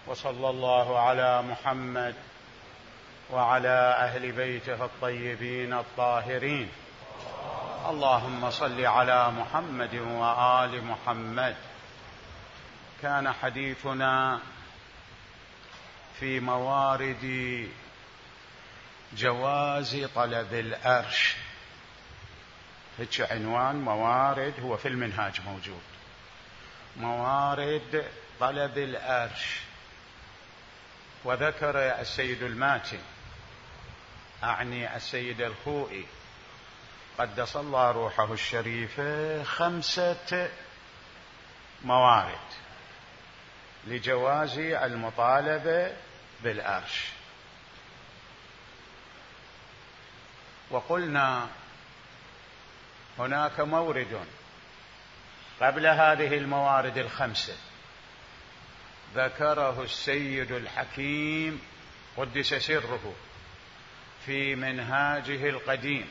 وصلى الله على محمد وعلى أهل بيته الطيبين الطاهرين. اللهم صل على محمد وآل محمد. كان حديثنا في موارد جواز طلب الأرش. هيك عنوان موارد، هو في المنهاج موجود، موارد طلب الأرش. وذكر السيد الماتي، أعني السيد الخوئي قدس الله روحه الشريفة، 5 موارد لجواز المطالبة بالأرش. وقلنا هناك مورد قبل هذه الموارد 5 ذكره السيد الحكيم قدس سره في منهاجه القديم،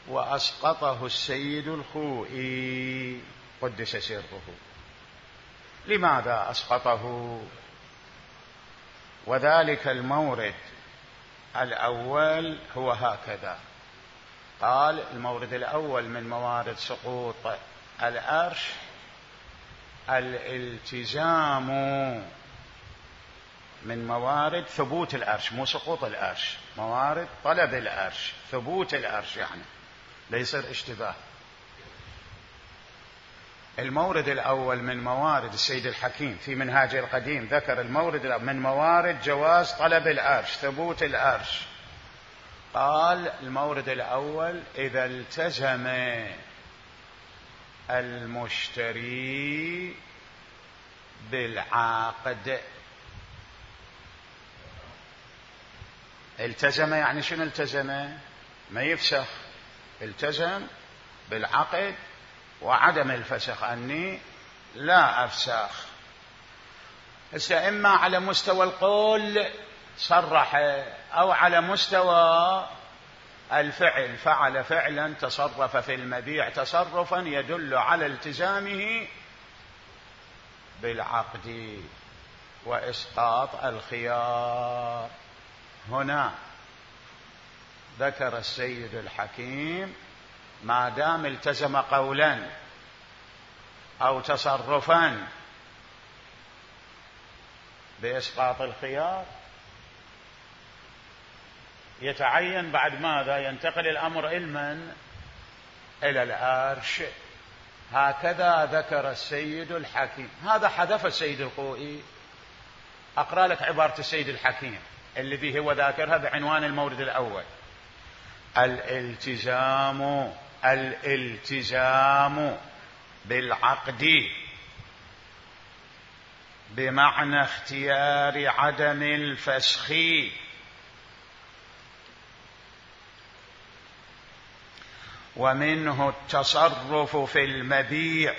وأسقطه السيد الخوئي قدس سره. لماذا أسقطه؟ وذلك المورد الأول هو هكذا قال: المورد الأول من موارد سقوط الأرش الالتزام، من موارد ثبوت الأرش، مو سقوط الأرش، موارد طلب الأرش، ثبوت الأرش، يعني لا يصير اشتباه. المورد الأول من موارد السيد الحكيم في منهاجه القديم ذكر المورد من موارد جواز طلب الأرش، ثبوت الأرش. قال المورد الأول: إذا التزم المشتري بالعقد. التزم يعني شنو التزم؟ ما يفسخ، التزم بالعقد وعدم الفسخ، أني لا أفسخ. هسه إما على مستوى القول صرح، أو على مستوى الفعل، فعل فعلا، تصرف في المبيع تصرفا يدل على التزامه بالعقد وإسقاط الخيار. هنا ذكر السيد الحكيم ما دام التزم قولا أو تصرفا بإسقاط الخيار، يتعين بعد ماذا؟ ينتقل الأمر إلى الأرش. هكذا ذكر السيد الحكيم. هذا حذف السيد الخوئي. أقرأ لك عبارة السيد الحكيم الذي هو ذاكرها بعنوان المورد الأول: الالتزام بالعقد بمعنى اختيار عدم الفسخ، ومنه التصرف في المبيع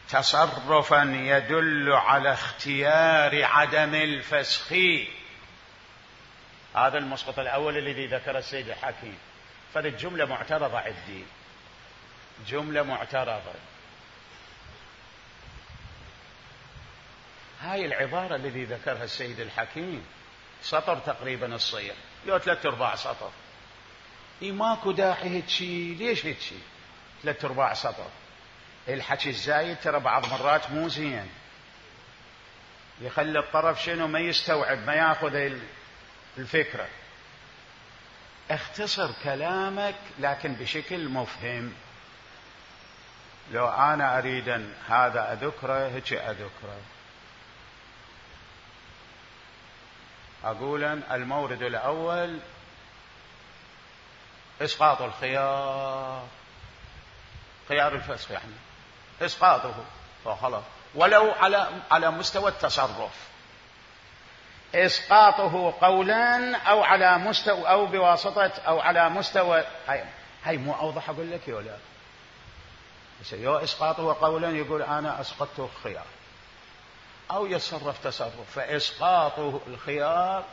تصرفا يدل على اختيار عدم الفسخ. هذا المسقط الأول الذي ذكر السيد الحكيم. فهذه جملة معترضة عندي، جملة معترضة. هاي العبارة الذي ذكرها السيد الحكيم سطر تقريبا الصيغ، لو 3/4 سطر. ماكو داعي هيك. ليش هيك 3/4 سطر؟ الحكي الزايد ترى بعض مرات مو زين، يخلي الطرف شنو ما يستوعب، ما ياخذ الفكرة. اختصر كلامك لكن بشكل مفهم. لو أنا أريد هذا أذكره هيك أذكره. أقول المورد الأول إسقاط الخيار، خيار الفسخ يعني إسقاطه فخلاص، ولو على مستوى التصرف، إسقاطه قولا أو على مستوى أو بواسطة أو على مستوى. هاي مو أوضح أقول لك ولا؟ بس يو إسقاطه قولا يقول أنا أسقطته الخيار، أو يتصرف تصرف، فإسقاطه الخيار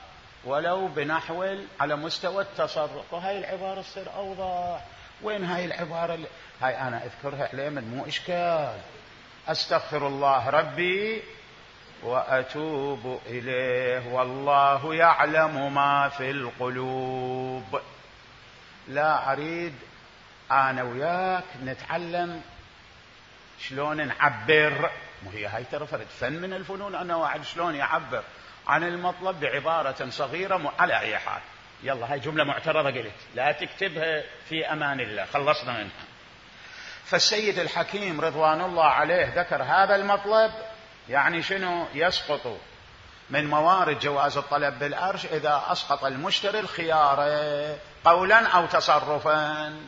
ولو بنحو على مستوى التصرف. وهاي العبارة تصير أوضح. وين هاي العبارة هاي أنا أذكرها عليه من مو إشكال. أستغفر الله ربي وأتوب إليه والله يعلم ما في القلوب. لا أريد أنا وياك نتعلم شلون نعبر، وهي هاي ترى فن من الفنون، أنا واحد شلون يعبر عن المطلب بعبارة صغيرة على أي حال. يلا هاي جملة معترضة قلت لا تكتبها في أمان الله، خلصنا منها. فالسيد الحكيم رضوان الله عليه ذكر هذا المطلب، يعني شنو؟ يسقط من موارد جواز الطلب بالأرش إذا أسقط المشتري الخيار قولا أو تصرفا،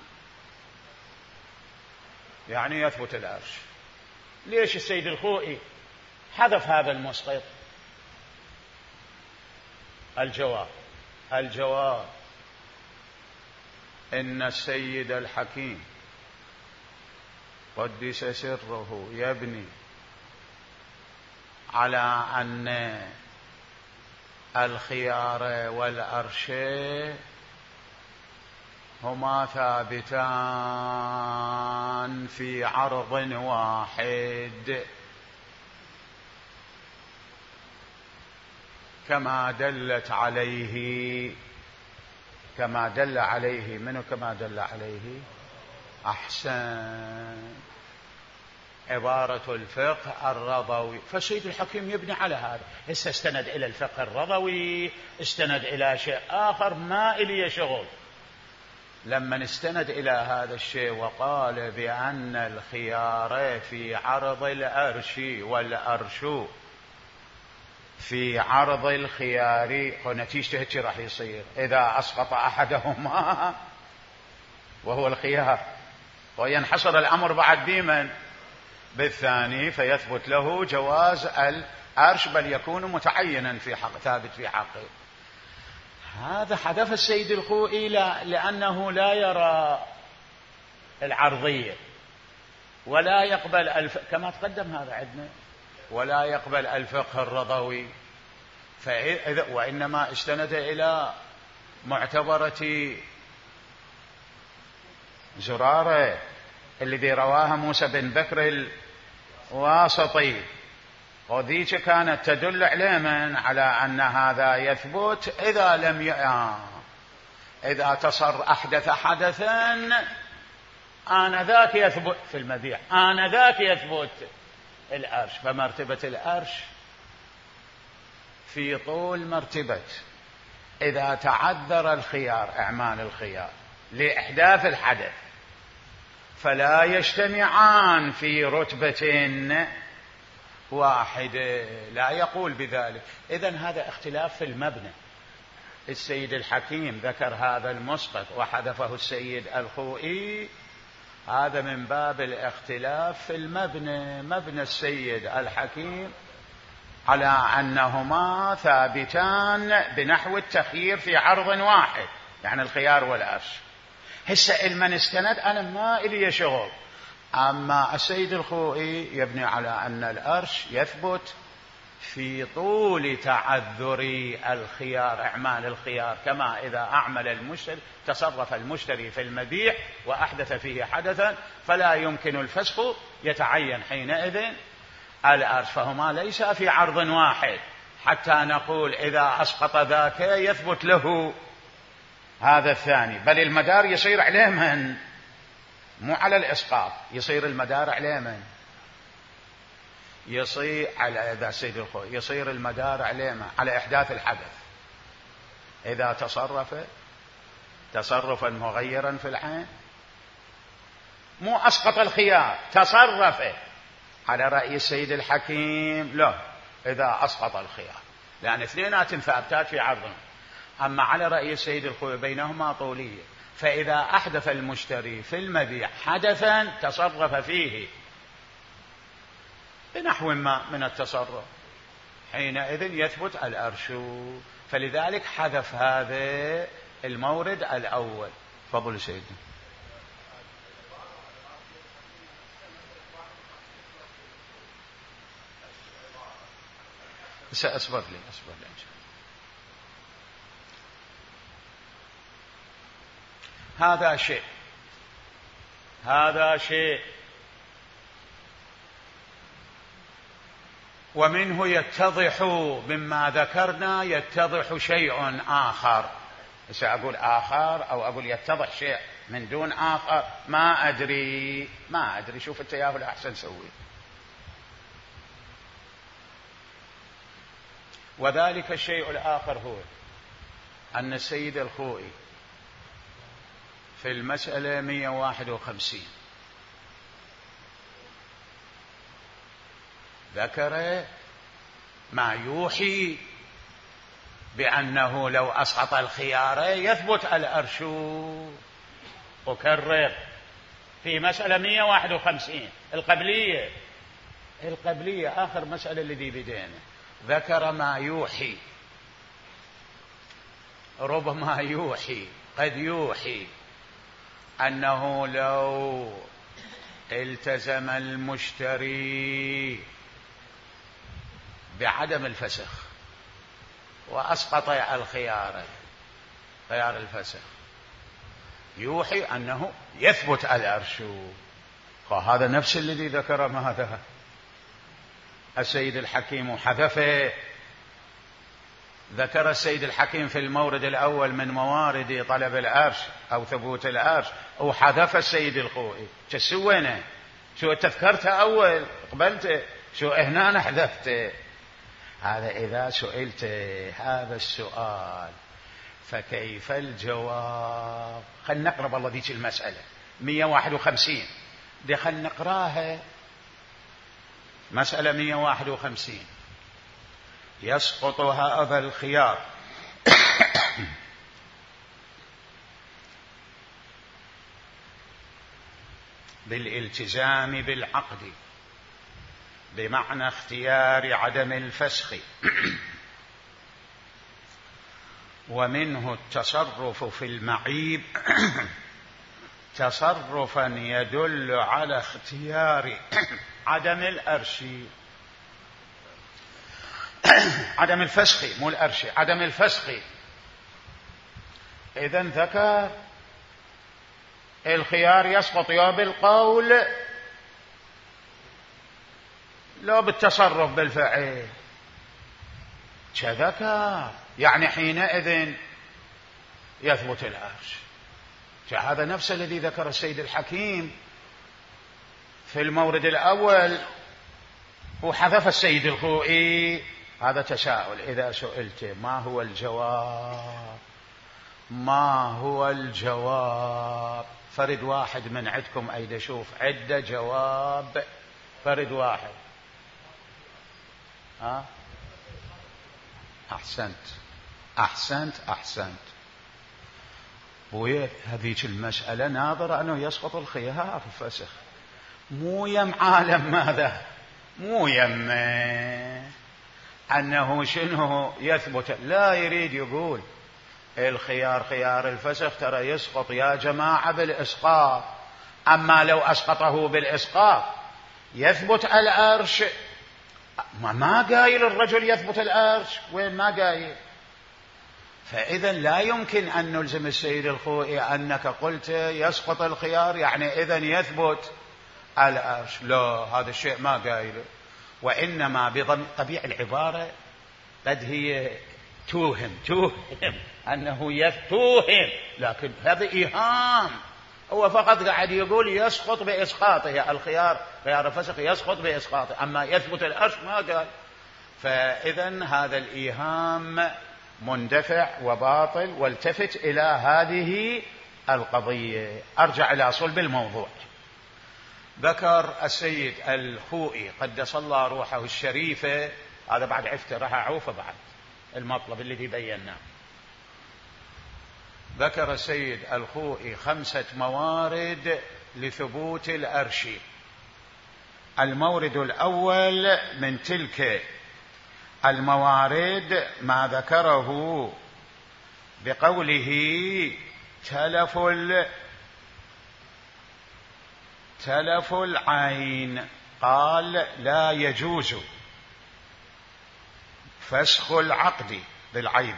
يعني يثبت الأرش. ليش السيد الخوئي حذف هذا المسقط؟ الجواب إن السيد الحكيم قدس سره يبني على أن الخيار والأرش هما ثابتان في عرض واحد، كما دل عليه منه، كما دل عليه أحسن عبارة الفقه الرضوي. فالسيد الحكيم يبني على هذا. هسه استند إلى الفقه الرضوي، استند إلى شيء آخر ما إلي شغل. لما استند إلى هذا الشيء وقال بأن الخيار في عرض الأرش والأرش في عرض الخيار، ونتيجته هيك راح يصير إذا أسقط أحدهما وهو الخيار، وينحصر الأمر بعد بمن؟ بالثاني، فيثبت له جواز الأرش، بل يكون متعينا في حق، ثابت في حقه. هذا حذف السيد الخوئي لأنه لا يرى العرضية ولا يقبل كما تقدم هذا عندنا، ولا يقبل الفقه الرضوي، وإنما استند إلى معتبرة زرارة الذي رواها موسى بن بكر الواسطي، وذيك كانت تدل علما على أن هذا يثبت إذا لم إذا أحدث حدثا آنذاك يثبت في المبيع، آنذاك يثبت الأرش. فمرتبة الأرش في طول مرتبة إذا تعذر الخيار، إعمال الخيار لإحداث الحدث، فلا يجتمعان في رتبة واحدة، لا يقول بذلك. إذن هذا اختلاف في المبنى. السيد الحكيم ذكر هذا المسقط وحذفه السيد الخوئي، هذا من باب الاختلاف في المبنى. مبنى السيد الحكيم على أنهما ثابتان بنحو التخيير في عرض واحد، يعني الخيار والأرش. هسه المن استند أنا ما إلي شغل. أما السيد الخوئي يبني على أن الأرش يثبت في طول تعذر الخيار، إعمال الخيار، كما إذا أعمل المشتري، تصرف المشتري في المبيع وأحدث فيه حدثا فلا يمكن الفسخ، يتعين حينئذ الأرش. فهما ليس في عرض واحد حتى نقول إذا أسقط ذاك يثبت له هذا الثاني، بل المدار يصير عليه من؟ مو على الإسقاط، يصير المدار عليه من؟ يصير على هذا سيد الخوئي، يصير المدار عليه من؟ على إحداث الحدث. إذا تصرف تصرفا مغيرا في العين، مو أسقط الخيار، تصرف على رأي السيد الحكيم لا، إذا أسقط الخيار، لأن اثنينات ثابتات في عرضهم. أما على رأي السيد الخوئي بينهما طولية، فإذا أحدث المشتري في المبيع حدثا تصرف فيه بنحو ما من التصرف، حينئذ يثبت الأرش. فلذلك حذف هذا المورد الأول. فضل سيدنا. أصبر لي إن شاء الله. هذا شيء ومنه يتضح مما ذكرنا يتضح شيء آخر. سأقول آخر أو أقول يتضح شيء من دون آخر، ما أدري. شوف التيافل أحسن سوي. وذلك الشيء الآخر هو أن السيد الخوئي في المسألة 151 ذكر ما يوحي بأنه لو أسقط الخيار يثبت الأرش. أكرر، في مسألة 151 القبلية آخر مسألة الذي بدينا، ذكر ما يوحي، ربما يوحي، قد يوحي أنه لو التزم المشتري بعدم الفسخ وأسقط خيار الفسخ يوحي أنه يثبت الأرش. فهذا نفس الذي ذكر ماذا السيد الحكيم حذفه. ذكر السيد الحكيم في المورد الأول من موارد طلب الأرش أو ثبوت الأرش، وحذف السيد الخوئي. سوينا شو تذكرته أول قبلته، شو هنا حذفته. هذا إذا سئلت هذا السؤال فكيف الجواب؟ خلنا نقرب الله ذيك المسألة 151 دي، خلنا نقراها. مسألة 151 يسقط هذا الخيار بالالتزام بالعقد بمعنى اختيار عدم الفسخ، ومنه التصرف في المعيب تصرفا يدل على اختيار عدم الأرش، عدم الفسخ مو الأرش، عدم الفسخ. إذن ذكر الخيار يسقط يا بالقول لو بالتصرف بالفعل، كذكر يعني حينئذ يثبت الأرش. هذا نفس الذي ذكر السيد الحكيم في المورد الأول وحذف السيد الخوئي. هذا تساؤل، إذا سئلت ما هو الجواب؟ ما هو الجواب؟ فرد واحد من عندكم أيد شوف عدة جواب، فرد واحد. أحسنت. وهذيك المسألة ناظر أنه يسقط الخيار في الفسخ، مو يم عالم ماذا، مو يم أنه شنو يثبت، لا يريد يقول الخيار خيار الفسخ ترى يسقط يا جماعة بالإسقاط، أما لو أسقطه بالإسقاط يثبت الأرش. ما قايل الرجل يثبت الأرش، وين ما قايل. فإذا لا يمكن أن نلزم السيد الخوئي أنك قلت يسقط الخيار يعني إذن يثبت الأرش، لا، هذا الشيء ما قايله. وإنما بطبيعة العبارة قد هي توهم أنه يتوهم، لكن هذا إيهام. هو فقط قاعد يقول يسقط بإسقاطه الخيار، خيار الفسخ يسقط بإسقاطه، أما يثبت الأرش ما قال. فإذا هذا الإيهام مندفع وباطل. والتفت إلى هذه القضية، أرجع إلى صلب الموضوع. ذكر السيد الخوئي قدس الله روحه الشريفة، هذا بعد عفته راح أعوفه بعد المطلب الذي بيناه. ذكر السيد الخوئي 5 موارد لثبوت الأرش. المورد الأول من تلك الموارد ما ذكره بقوله تلف العين، قال لا يجوز فسخ العقد بالعيب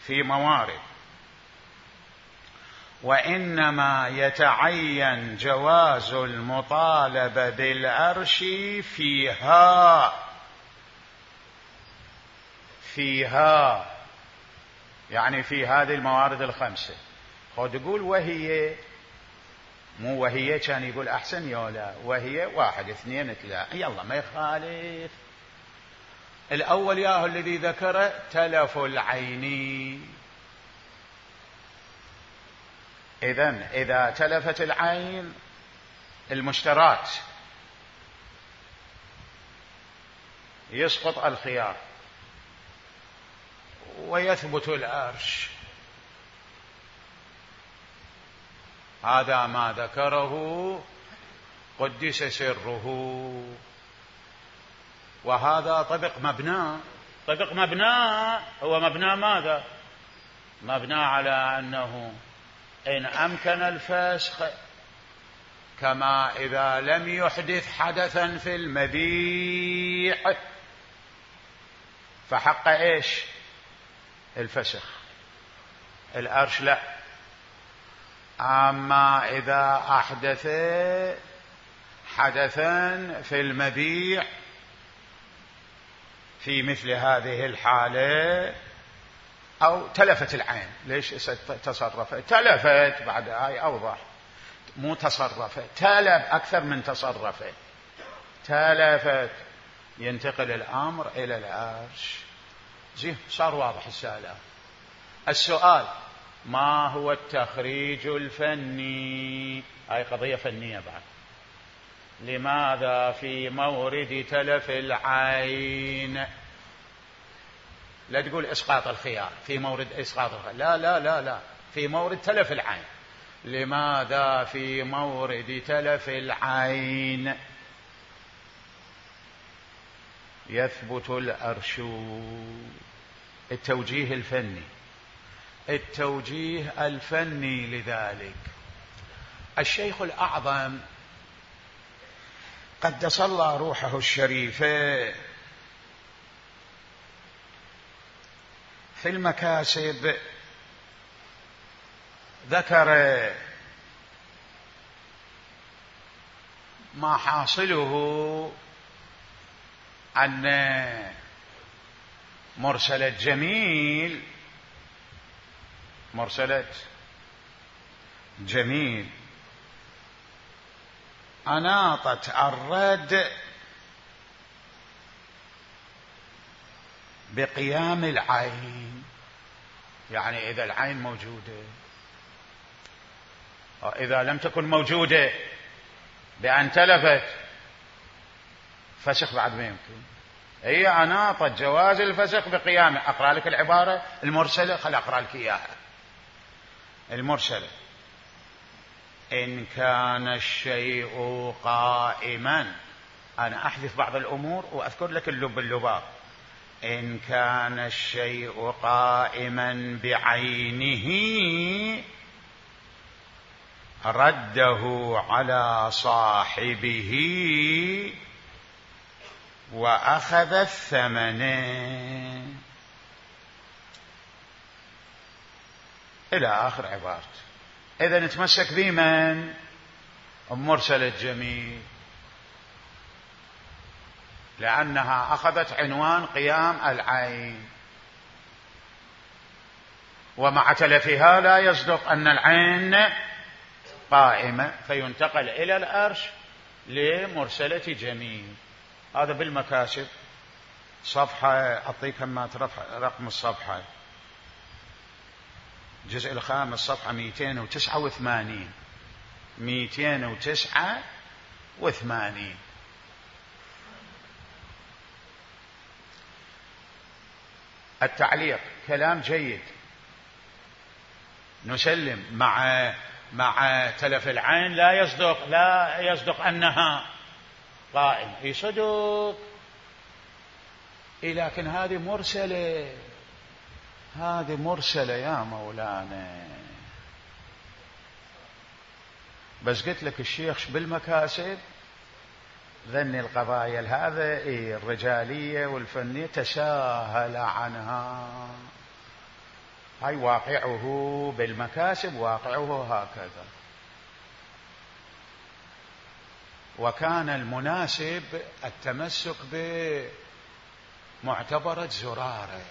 في موارد، وإنما يتعين جواز المطالبة بالأرش فيها فيها، يعني في هذه الموارد الخمسة. خذ يقول وهي، مو وهي كان يقول أحسن يولا، وهي 1 2 3، يلا ما يخالف. الأول ياهو الذي ذكره تلف العين. إذن إذا تلفت العين المشترات يسقط الخيار ويثبت الأرش. هذا ما ذكره قدس سره، وهذا طبق مبنى. طبق مبنى هو مبنى ماذا؟ مبنى على أنه إن أمكن الفسخ، كما إذا لم يحدث حدثا في المبيع فحق إيش؟ الفسخ. الأرش لا. أما إذا أحدث حدثا في المبيع في مثل هذه الحالة، أو تلفت العين. ليش تصرفت؟ تلفت، بعد هاي أوضح، مو تصرفت، تلف أكثر من تصرفت. تلفت ينتقل الأمر إلى العرش. زين، صار واضح السؤال ما هو التخريج الفني؟ هاي قضية فنية بعد. لماذا في مورد تلف العين، لا تقول إسقاط الخيار في مورد إسقاط الخيار، لا لا لا لا، في مورد تلف العين. لماذا في مورد تلف العين يثبت الأرش؟ التوجيه الفني. التوجيه الفني لذلك الشيخ الأعظم قدس الله روحه الشريفة في المكاسب ذكر ما حاصله أن مرسلة جميل، مرسلة جميل أناطت الرد بقيام العين. يعني إذا العين موجودة، إذا لم تكن موجودة بأن تلفت، فسخ بعد ما يمكن. هي أناطت جواز الفسخ بقيامه. أقرأ لك العبارة المرسلة، خل أقرأ لك إياها. المرسلة: إن كان الشيء قائما، أنا أحذف بعض الأمور وأذكر لك اللباب. إن كان الشيء قائما بعينه رده على صاحبه وأخذ الثمن. إلى آخر عبارة. إذا نتمسك بمن؟ مرسل الجميل، لأنها أخذت عنوان قيام العين، ومع تلفها لا يصدق أن العين قائمة، فينتقل إلى الأرش لمرسلة جميل. هذا بالمكاسب. صفحة أعطيك ما رقم الصفحة، الجزء الخامس، صفحة 289. 289. التعليق كلام جيد، نسلم مع تلف العين لا يصدق أنها قائم. يصدق، لكن هذه مرسلة، هذه مرسلة يا مولانا. بس قلت لك الشيخ بالمكاسب ذني القضايا هذا الرجالية والفنية تساهل عنها. هاي واقعه بالمكاسب، واقعه هكذا. وكان المناسب التمسك بمعتبرة زرارة.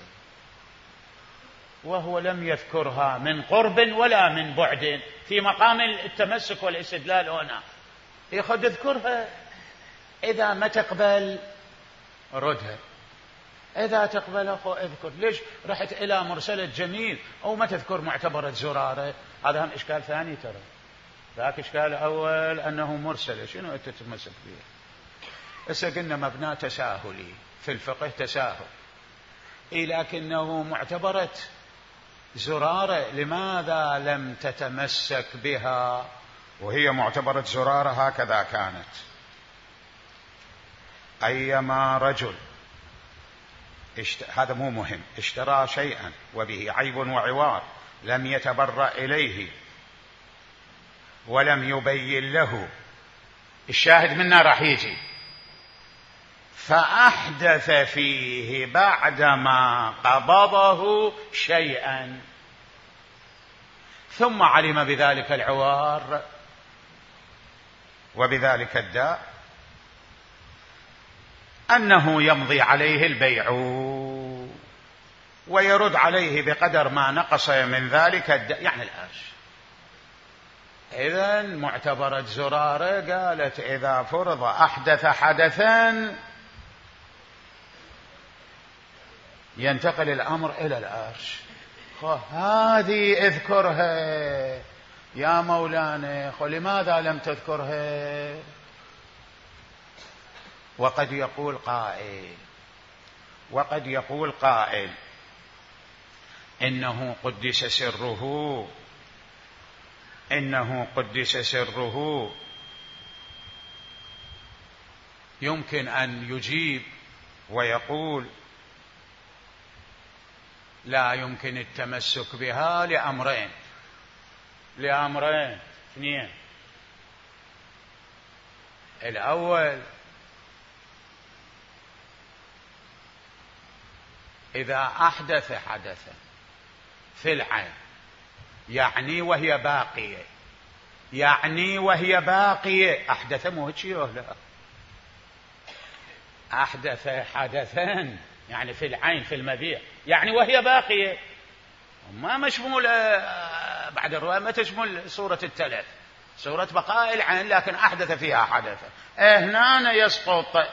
وهو لم يذكرها من قرب ولا من بعد، في مقام التمسك والاستدلال هنا ياخذ اذكرها، إذا ما تقبل ردها، إذا تقبل أخو اذكر. ليش رحت إلى مرسلة جميل أو ما تذكر معتبرة زرارة؟ هذا هم إشكال ثاني ترى. ذاك إشكال أول أنه مرسلة، شنو أنت تتمسك بها؟ هسه قلنا مبنى تساهلي في الفقه، تساهل، لكنه معتبرة زرارة، لماذا لم تتمسك بها وهي معتبرة زرارة؟ هكذا كانت. أيما رجل هذا مو مهم، اشترى شيئا وبه عيب وعوار لم يتبرأ إليه ولم يبين له، الشاهد منا راح يجي، فأحدث فيه بعدما قبضه شيئا ثم علم بذلك العوار وبذلك الداء أنه يمضي عليه البيع ويرد عليه بقدر ما نقص من ذلك الداء، يعني الأرش. إذن معتبرة زرارة قالت إذا فرض أحدث حدثا ينتقل الأمر إلى الأرش. هذه اذكرها يا مولانا، لماذا لم تذكرها؟ وقد يقول قائل إنه قدس سره، يمكن أن يجيب ويقول لا يمكن التمسك بها لأمرين اثنين. الأول إذا أحدث حدثا في العين، يعني وهي باقية، أحدث مو هيك لا، أحدث حدثا يعني في العين في المبيع، يعني وهي باقية، ما مشمول بعد الرواية ما تشمل صورة التلف، صورة بقاء العين، لكن أحدث فيها حدثا، هنا يسقط.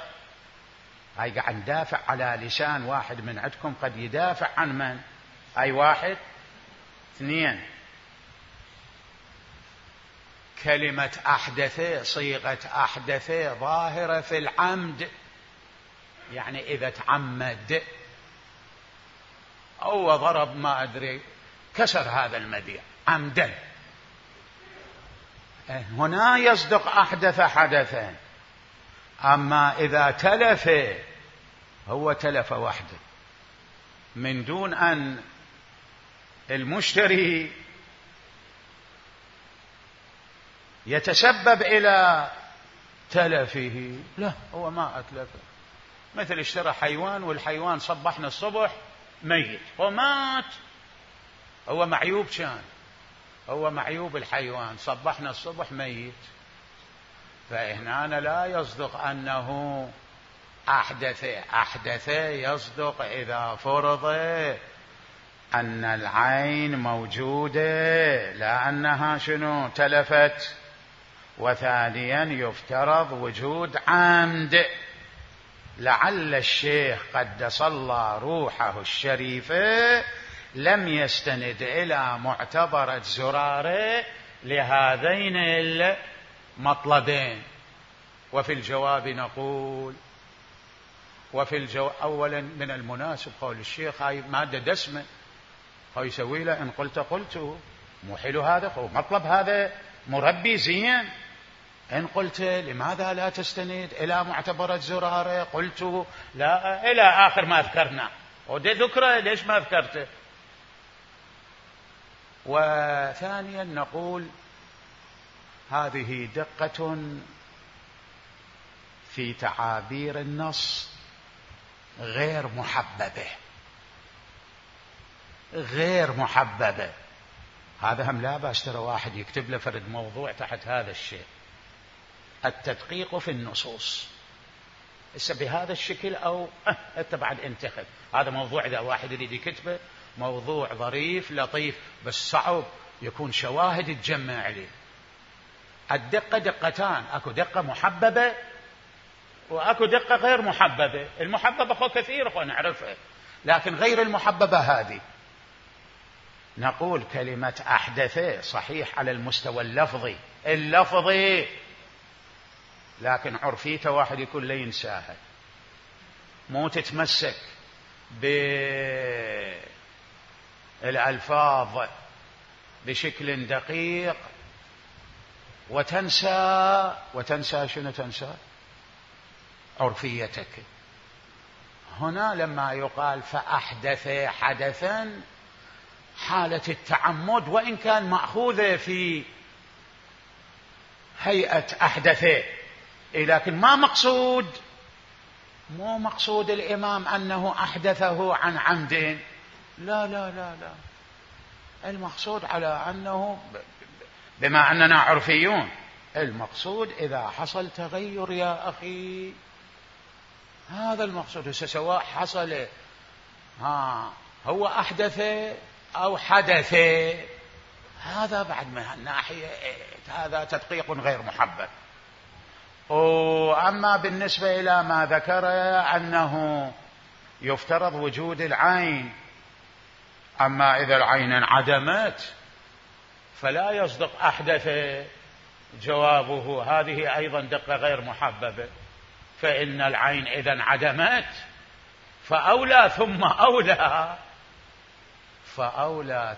هاي قاعد ندافع على لسان واحد من عندكم، قد يدافع عن من؟ أي واحد. اثنين، كلمة أحدث، صيغة أحدث ظاهرة في العمد، يعني إذا تعمد أو ضرب ما أدري كسر هذا المبيع عمدا، هنا يصدق أحدث حدثا. أما إذا تلف، هو تلف وحده من دون أن المشتري يتسبب إلى تلفه، لا هو ما أتلفه. مثل اشترى حيوان والحيوان صبحنا الصبح ميت ومات، هو معيوب، كان هو معيوب الحيوان، صبحنا الصبح ميت، فهنا لا يصدق أنه أحدث يصدق إذا فرض أن العين موجودة لا أنها شنو تلفت. وثانيا يفترض وجود عمد، لعل الشيخ قدس الله روحه الشريفة لم يستند إلى معتبرة زرارة لهذين المطلبين. وفي الجواب نقول، أولا من المناسب قول الشيخ هاي مادة دسمة، هاي يسوي له إن قلت مو حلو هذا، هو مطلب هذا مربي زين. إن قلت لماذا لا تستند إلى معتبرة زرارة، قلت لا إلى آخر ما ذكرنا، ودي ذكره ليش ما ذكرته. وثانيا نقول هذه دقة في تعابير النص غير محببة. هذا هم لا بأس ترى واحد يكتب له فرد موضوع تحت هذا الشيء، التدقيق في النصوص. بهذا الشكل أو أنت بعد انتخب. هذا موضوع إذا واحد يريد يكتبه موضوع ظريف لطيف، بس صعب يكون شواهد تجمع عليه. الدقة دقتان، أكو دقة محببة وأكو دقة غير محببة. المحببة أخو كثير أخو نعرفها، لكن غير المحببة هذه. نقول كلمة أحدث صحيح على المستوى اللفظي، لكن عرفيته واحد يكون لا ينساها، مو تتمسك بالألفاظ بشكل دقيق وتنسى شنو تنسى؟ عرفيتك. هنا لما يقال فأحدث حدثا، حالة التعمد وإن كان مأخوذة في هيئة أحدث، لكن مو مقصود الإمام أنه أحدثه عن عمد، لا لا لا لا، المقصود على أنه بما أننا عرفيون، المقصود إذا حصل تغير يا أخي، هذا المقصود. سواء حصل هو أحدث أو حدث، هذا بعد من الناحية هذا تدقيق غير محبب. وأما بالنسبة إلى ما ذكر أنه يفترض وجود العين، أما إذا العين انعدمت فلا يصدق أحدث جوابه، هذه أيضا دقة غير محببة. فإن العين إذا انعدمت فأولى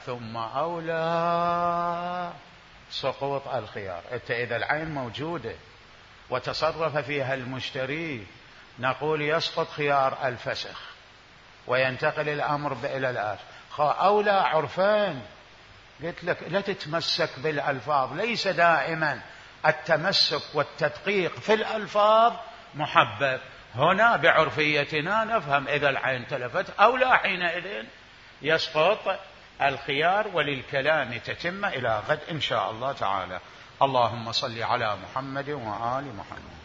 ثم أولى سقوط الخيار. إذا العين موجودة وتصرف فيها المشتري، نقول يسقط خيار الفسخ وينتقل الأمر إلى الآخر. أولى عرفان. قلت لك لا تتمسك بالألفاظ، ليس دائما التمسك والتدقيق في الألفاظ محبب. هنا بعرفيتنا نفهم إذا العين تلفت أولى حينئذ يسقط الخيار. وللكلام تتم إلى غد إن شاء الله تعالى. اللهم صل على محمد وآل محمد.